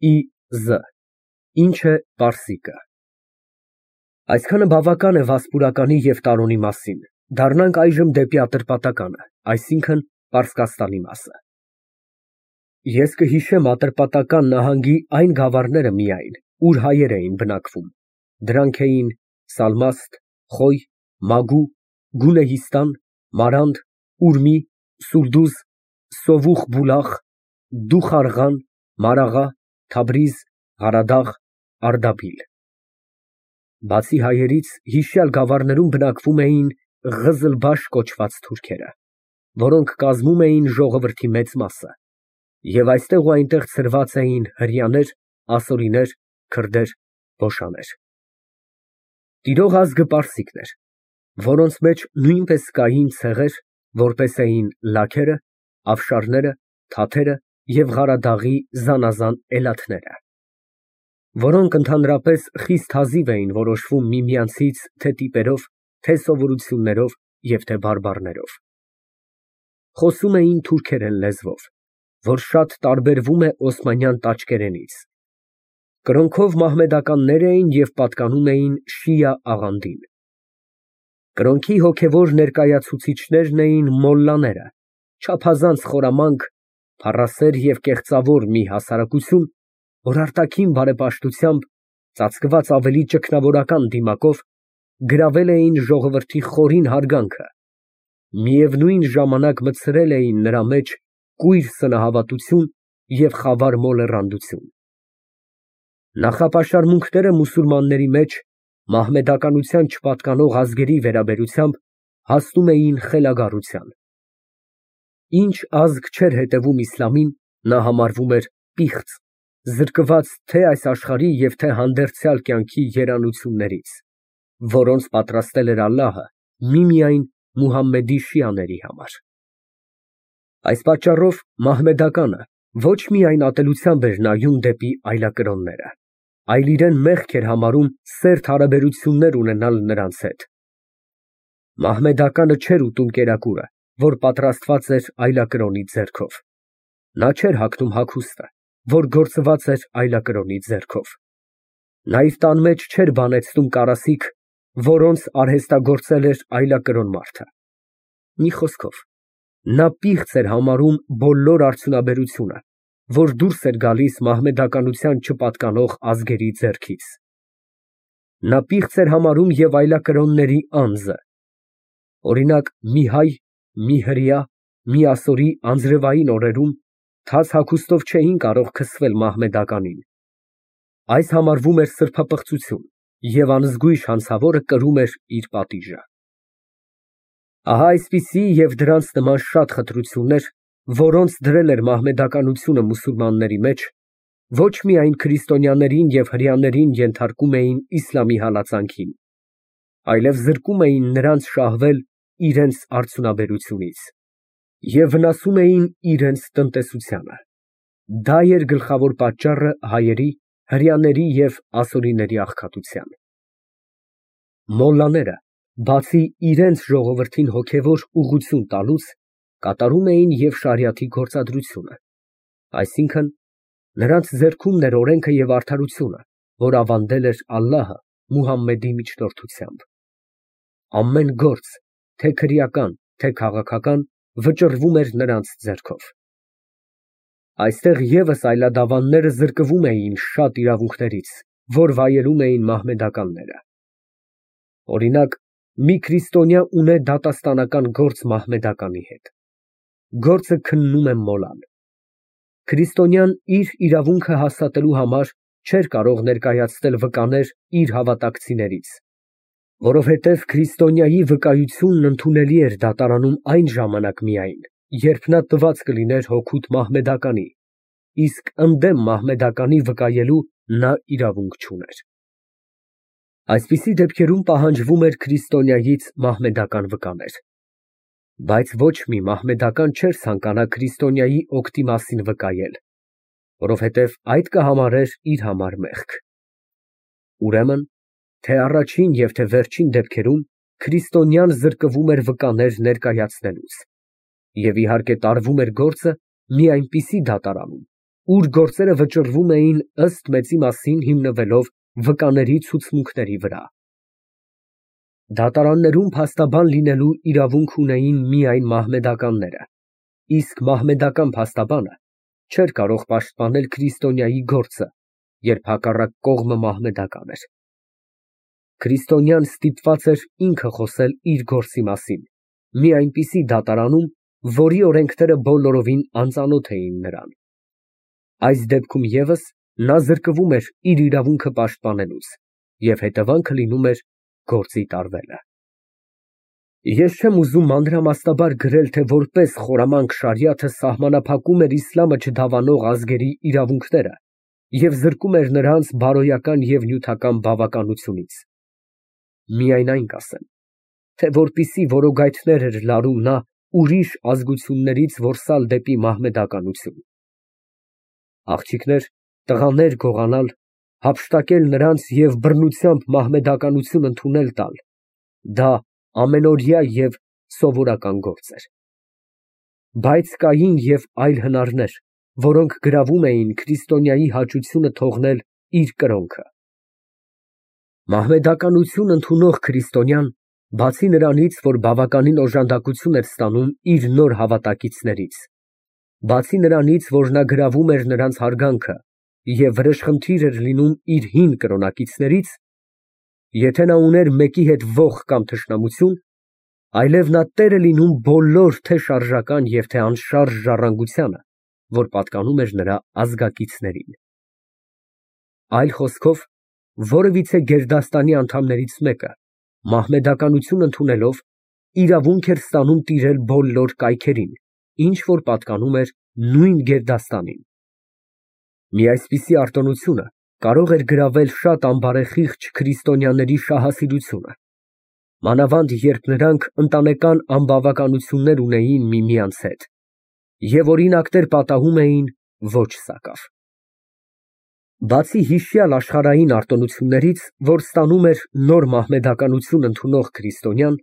Ի ինչ է պարսիկը։ Այսքանը բավական է վասպուրականի և տարոնի մասին, դառնանք այժմ դեպի ատրպատականը, այսինքն՝ Պարսկաստանի մասը։ Ես կհիշեմ Ատրպատական նահանգի այն գավառները միայն, ուր հայեր էին բնակվում, դրանք էին Սալմաստ, Խոյ, Մագու, Գունեհիստան, Մարանդ, Ուրմի, Սուլդուզ, Սովուխ Դուխարղան, Մարաղա, Թաբրիզ, Ղարադաղ, Արդաբիլ։ Բացի հայերից, հիշյալ գավառներում բնակվում էին Ղզլբաշ կոչված թուրքերը, որոնք կազմում էին ժողովրդի մեծ մասը, և այստեղ ու այնտեղ ցրված էին հրեաներ, ասորիներ, քրդեր, բոշաներ։ Տիրող ազգը պարսիկն էր, որոնց մեջ նույնպես կային ցեղեր, որպես էին լաքերը, ավշարները, թաթերը և Ղարադաղի զանազան էլաթները, որոնք ընդհանրապես խիստ հազիվ էին որոշվում միմյանցից թե տիպերով, թե սովորություններով և թե բարբառներով։ Խոսում էին թուրքերեն լեզվով, որ շատ տարբերվում է օսմանյան տաճկերենից։ Կրոնքով մահմեդականներ էին և պատկանում էին շիա աղանդին։ Կրոնքի հոգևոր ներկայացուցիչներն էին մոլլաները, չափազանց խորամանկ, փառասեր և կեղծավոր մի հասարակություն, որ արտաքին բարեպաշտությամբ, ծածկված ավելի ճգնավորական դիմակով, գրավել էին ժողովրդի խորին հարգանքը, միևնույն ժամանակ մտցրել էին նրա մեջ կույր սնահավատություն և խավար մոլեռանդություն։ Նախապաշարմունքները մուսուլմանների մեջ մահմեդականության չպատկանող ազգերի վերաբերությամբ հասնում էին խելագարության։ Ինչ ազգ չէր հետևում իսլամին, նա համարվում էր պիղծ, զրկված թե այս աշխարհի և թե հանդերձյալ կյանքի երանություններից, որոնց պատրաստել էր Ալլահը միմիայն Մուհամմեդի շիաների համար։ Այս պատճառով մահմեդականը ոչ միայն ատելությամբ էր նայում դեպի այլակրոնները, այլ իրեն մեղք էր համարում սերտ հարաբերություններ ունենալ նրանց հետ։ Մահմեդականը չէր ուտում կերակուրը, որ պատրաստված էր այլակրոնի ձեռքով։ Նա չէր հագնում հագուստը, որ գործված էր այլակրոնի ձեռքով։ Նա իր տան մեջ չէր բանեցնում կարասիք, որոնց արհեստագործել էր այլակրոն մարդը։ Մի խոսքով, նա պիղծ էր համարում բոլոր արդյունաբերությունը, որ դուրս էր գալիս մահմեդականության չպատկանող ազգերի ձեռքից։ Նա պիղծ էր համարում և այլակրոնների անձը։ Օրինակ, մի հայ, մի հրեա, մի ասորի անձրևային օրերում թաց հագուստով չէին կարող քսվել մահմեդականին։ Այս համարվում էր սրբապղծություն, և անզգույշ հանցավորը կրում էր իր պատիժը։ Ահա այսպիսի և դրանց նման շատ խտրություններ, որոնց դրել էր մահմեդականությունը մուսուլմանների մեջ, ոչ միայն քրիստոնյաներին և հրեաներին ենթարկում էին իսլամի հալածանքին, այլև զրկում էին նրանց շահվել իրենց արդյունաբերությունից և վնասում էին իրենց տնտեսությանը։ Դա էր գլխավոր պատճառը հայերի, հրեաների և ասորիների աղքատության։ Մոլլաները, բացի իրենց ժողովրդին հոգևոր ուղղություն տալուց, կատարում էին և շարիաթի գործադրությունը, այսինքն՝ նրանց ձեռքումն էր օրենքը և արդարությունը, որ ավանդել էր Ալլահը Մուհամմեդի միջնորդությամբ։ Ամեն գործ, թե քրեական, թե քաղաքական, վճռվում էր նրանց ձեռքով։ Այստեղ ևս այլադավանները զրկվում էին շատ իրավունքներից, որ վայելում էին մահմեդականները։ Օրինակ, մի քրիստոնյա ունե դատաստանական գործ մահմեդականի հետ։ Գործը քննում է մոլան։ Քրիստոնյան իր իրավունքը հաստատելու համար չէր կարող ներկայացնել վկաներ իր հավատակցիներից, որովհետև քրիստոնյայի վկայությունն ընդունելի էր դատարանում այն ժամանակ միայն, երբ նա տված կլիներ հօգուտ մահմեդականի, իսկ ընդդեմ մահմեդականի վկայելու նա իրավունք չուներ։ Այսպիսի դեպքերում պահանջվում էր քրիստոնյայից մահմեդական վկաներ։ Բայց ոչ մի մահմեդական չէր ցանկանա քրիստոնյայի օգտի մասին վկայել, որովհետև այդ կհամարեր իր համար մեղք։ Ուրեմն, թե առաջին և թե վերջին դեպքերում քրիստոնյան զրկվում էր վկաներ ներկայացնելուց, և իհարկե տարվում էր գործը մի այնպիսի դատարանում, ուր գործերը վճռվում էին ըստ մեծի մասին հիմնվելով վկաների ցուցմունքների վրա։ Դատարաններում փաստաբան լինելու իրավունք ունեին միայն մահմեդականները, իսկ մահմեդական փաստաբանը չէր կարող պաշտպանել քրիստոնյայի գործը, երբ հակառակ կողմը մահմեդական էր։ Քրիստոնյան ստիպված էր ինքը խոսել իր գործի մասին, մի այնպիսի դատարանում, որի օրենքները բոլորովին անծանոթ էին նրան։ Այս դեպքում ևս նա զրկվում էր իր իրավունքը պաշտպանելուց, և հետևանքը լինում էր գործի տարվելը։ Ես չեմ ուզում մանրամասնաբար գրել, թե որպես խորամանկ շարիաթը սահմանափակում էր իսլամը չդավանող ազգերի իրավունքները և զրկում էր նրանց բարոյական և նյութական բավականությունից։ Միայն այն կասեմ, թե որպիսի որոգայթներ էր լարում նա ուրիշ ազգություններից որսալ դեպի մահմեդականություն։ Աղջիկներ, տղաներ գողանալ, հափշտակել նրանց և բռնությամբ մահմեդականություն ընդունել տալ, դա ամենօրյա և սովորական գործ էր։ Բայց կային և այլ հնարներ, որոնք գրավում էին քրիստոնյայի հաճությունը թողնել իր կրոնքը։ Մահմեդականություն ընդունող քրիստոնյան, բացի նրանից, որ բավականին օժանդակություն էր ստանում իր նոր հավատակիցներից, բացի նրանից, որ նա գրավում էր նրանց հարգանքը և վրեժխնդիր էր լինում իր հին կրոնակիցներից, եթե նա ուներ մեկի հետ ոխ կամ թշնամություն, այլև նա տեր է լինում բոլոր թե շարժական և թե անշարժ ժառանգությանը, որ պատկանում էր նրա ազգակիցներին։ Այլ խոսքով, որևիցե գերդաստանի անդամներից մեկը, մահմեդականություն ընդունելով, իրավունք էր ստանում տիրել բոլոր կայքերին, ինչ որ պատկանում էր նույն գերդաստանին։ Մի այսպիսի արտոնությունը կարող էր գրավել շատ անբարեխիղճ քրիստոնյաների շահասիրությունը, մանավանդ երբ նրանք ընտանեկան անբավականություններ ունեին միմյանց հետ և օրինակներ պատահում էին ոչ սակավ։ Բացի հիշյալ աշխարհային արտոնություններից, որ ստանում էր նոր մահմեդականություն ընդունող քրիստոնյան,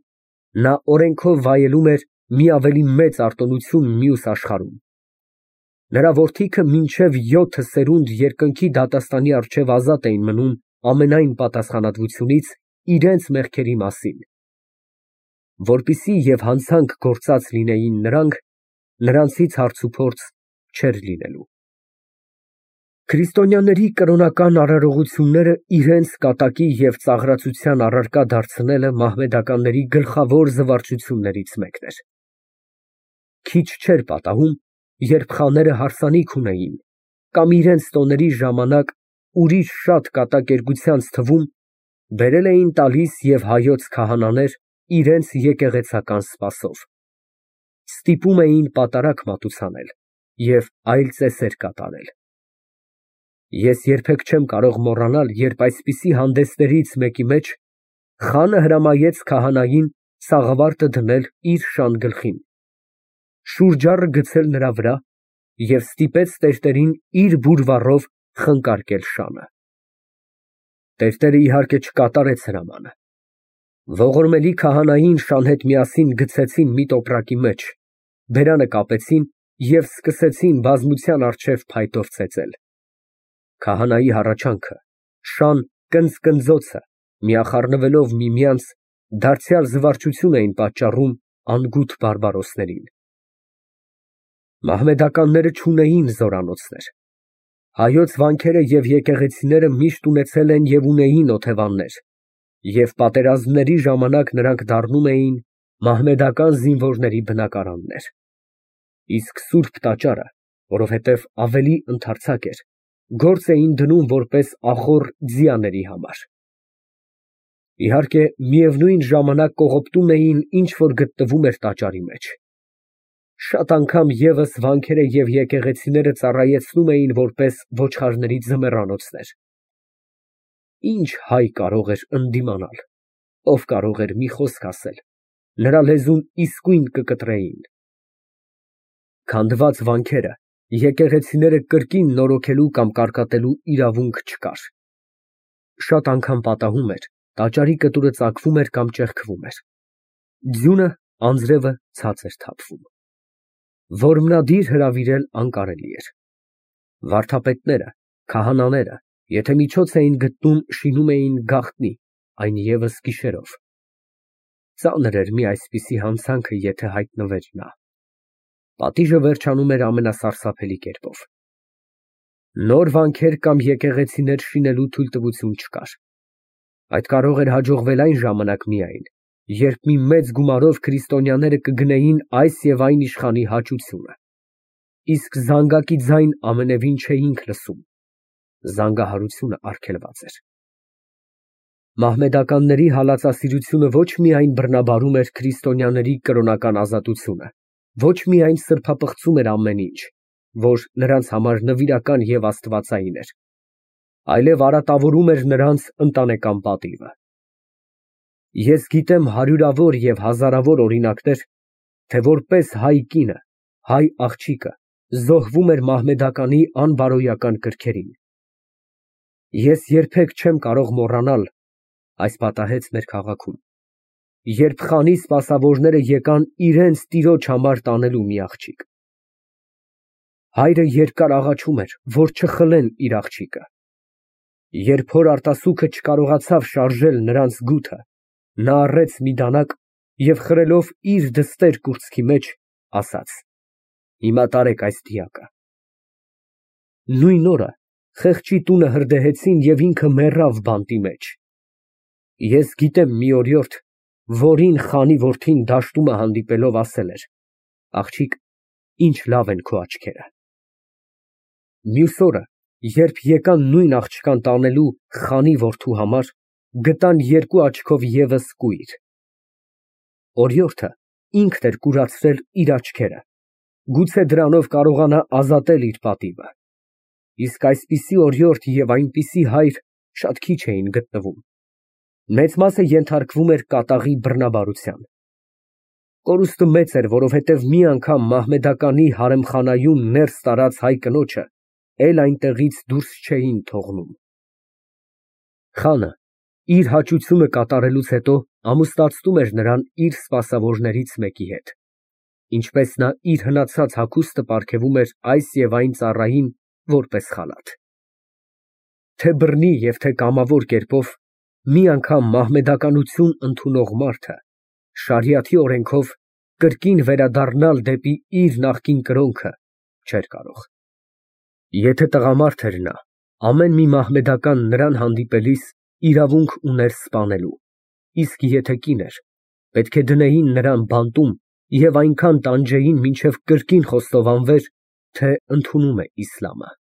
նա օրենքով վայելում էր մի ավելի մեծ արտոնություն մյուս աշխարհում։ Նրա որդիքը մինչև 7 սերունդ երկնքի դատաստանի առջև ազատ էին մնում ամենայն պատասխանատվությունից իրենց մեղքերի մասին։ Որպեսզի և հանցանք գործած լինեին նրանք, նրանցից հարցուփորձ չէր լինելու։ Քրիստոնյաների կրոնական արարողությունները իրենց կատակի և ծաղրացության առարկա դարձնելը մահմեդականների գլխավոր զվարճություններից մեկն էր։ Քիչ չէր պատահում, երբ խաները հարսանիք ունեին կամ իրենց տոների ժամանակ ուրիշ շատ կատակերգությանց թվում բերել էին տալիս և հայոց քահանաներ իրենց եկեղեցական սպասով, ստիպում էին պատարագ մատուցանել և այլ ծեսեր կատարել։ Ես երբեք չեմ կարող մոռանալ, երբ այսպիսի հանդեսներից մեկի մեջ խանը հրամայեց քահանային սաղավարտը դնել իր շան գլխին, շուրջառը գցել նրա վրա և ստիպեց տերտերին իր բուրվառով խնկարկել շանը։ Տերտերը, իհարկե, չկատարեց հրամանը։ Ողորմելի քահանային շան հետ միասին գցեցին մի տոպրակի մեջ, բերանը կապեցին և սկսեցին բազմության առջև փայտով ծեծել։ Քահանայի հառաչանքը, շան կնձկնձոցը միախառնվելով միմյանց, դարձյալ զվարճություն էին պատճառում անգութ բարբարոսներին։ Մահմեդականները չունեին զորանոցներ։ Հայոց վանքերը և եկեղեցիները միշտ ունեցել են և ունեին օթևաններ, և պատերազմների ժամանակ նրանք դառնում էին մահմեդական զինվորների բնակարաններ։ Իսկ սուրբ տաճարը, որովհետև ավելի ընդարձակ էր, գործ էին դնում որպես ախոռ ձիաների համար։ Իհարկե, միևնույն ժամանակ կողոպտում էին ինչ որ գտնվում էր տաճարի մեջ։ Շատ անգամ ևս վանքերը և եկեղեցիները ծառայեցնում էին որպես ոչխարների ձմեռանոցներ։ Ինչ հայ կարող էր ընդդիմանալ, ով կարող էր մի խոսք ասել, նրա լեզուն իսկույն կկտրեին։ Քանդված վանքերը, եկեղեցիները կրկին նորոգելու կամ կարկատելու իրավունք չկար։ Շատ անգամ պատահում էր, տաճարի կտուրը ծակվում էր կամ ճեղքվում էր։ Ձյունը, անձրևը ցած էր թափվում։ Որմնադիր հրավիրել անկարելի էր։ Վարդապետները, քահանաները, եթե միջոց էին գտնում, շինում էին գաղտնի, այն ևս գիշերով։ Ծանր էր մի այսպիսի հանցանքը, եթե հայտնվեր նա։ Պատիժը վերջանում էր ամենասարսափելի կերպով։ Նոր վանքեր կամ եկեղեցիներ շինելու թույլտվություն չկար։ Այդ կարող էր հաջողվել այն ժամանակ միայն, երբ մի մեծ գումարով քրիստոնյաները կգնեին այս և այն իշխանի հաճությունը։ Իսկ զանգակի ձայն ամենևին չէինք լսում։ Զանգահարությունը արգելված էր։ Մահմեդականների հալածասիրությունը ոչ միայն բռնաբարում էր քրիստոնյաների կրոնական ազատությունը, ոչ միայն սրբապղծում էր ամեն ինչ, որ նրանց համար նվիրական և աստվածային էր, այլև արատավորում էր նրանց ընտանեկան պատիվը։ Ես գիտեմ հարյուրավոր և հազարավոր օրինակներ, թե որպես հայ կինը, հայ աղջիկը զոհվում էր մահմեդականի անբարոյական կրքերին։ Ես երբեք չեմ կարող մոռանալ, այս պատահեց մեր քաղաքում, երբ խանի սպասավորները եկան իրենց տիրոջ համար տանելու մի աղջիկ։ Հայրը երկար աղաչում էր, որ չխլեն իր աղջիկը։ Երբ հոր արտասուքը չկարողացավ շարժել նրանց գութը, նա առեց մի դանակ և խրելով իր դստեր կուրծքի մեջ, ասաց. «Հիմա տարեք այս դիակը»։ Նույն օրը խեղճի տունը հրդեհեցին և ինքը մեռավ բանտի մեջ։ Ես գիտեմ մի օրիորդ, որին խանի որդին դաշտումը հանդիպելով ասել էր. «Աղջիկ, ինչ լավ են քո աչքերը»։ Մյուս օրը, երբ եկան նույն աղջկան տանելու խանի որդու համար, գտան երկու աչքով ևս կույր։ Օրիորդը ինքն էր կուրացրել իր աչքերը, գուցե դրանով կարողանա ազատել իր պատիվը։ Իսկ այսպիսի օրիորդ և այնպիսի հայր շատ քիչ էին գտնվում։ Մեծ մասը ենթարկվում էր կատաղի բռնաբարության։ Կորուստը մեծ էր, որովհետև մի անգամ մահմեդականի հարեմխանայում ներս տարած հայ կնոջը էլ այնտեղից դուրս չէին թողնում։ Խանը իր հաճությունը կատարելուց հետո ամուսնացնում էր նրան իր սպասավորներից մեկի հետ, ինչպես նա իր հնացած հագուստը պարգևում էր այս և այն ծառային որպես խալաթ։ Թե բռնի և թե կամավոր կերպով, մի անգամ մահմեդականություն ընդունող մարդը շարիաթի օրենքով կրկին վերադառնալ դեպի իր նախկին կրոնքը չէր կարող։ Եթե տղամարդ էր նա, ամեն մի մահմեդական նրան հանդիպելիս իրավունք ուներ սպանելու, իսկ եթե կին էր, պետք է դնեին նրան բանտում և այնքան տանջեին, մինչև կրկին խոստովանվեր, թե ընդունում է իսլամը։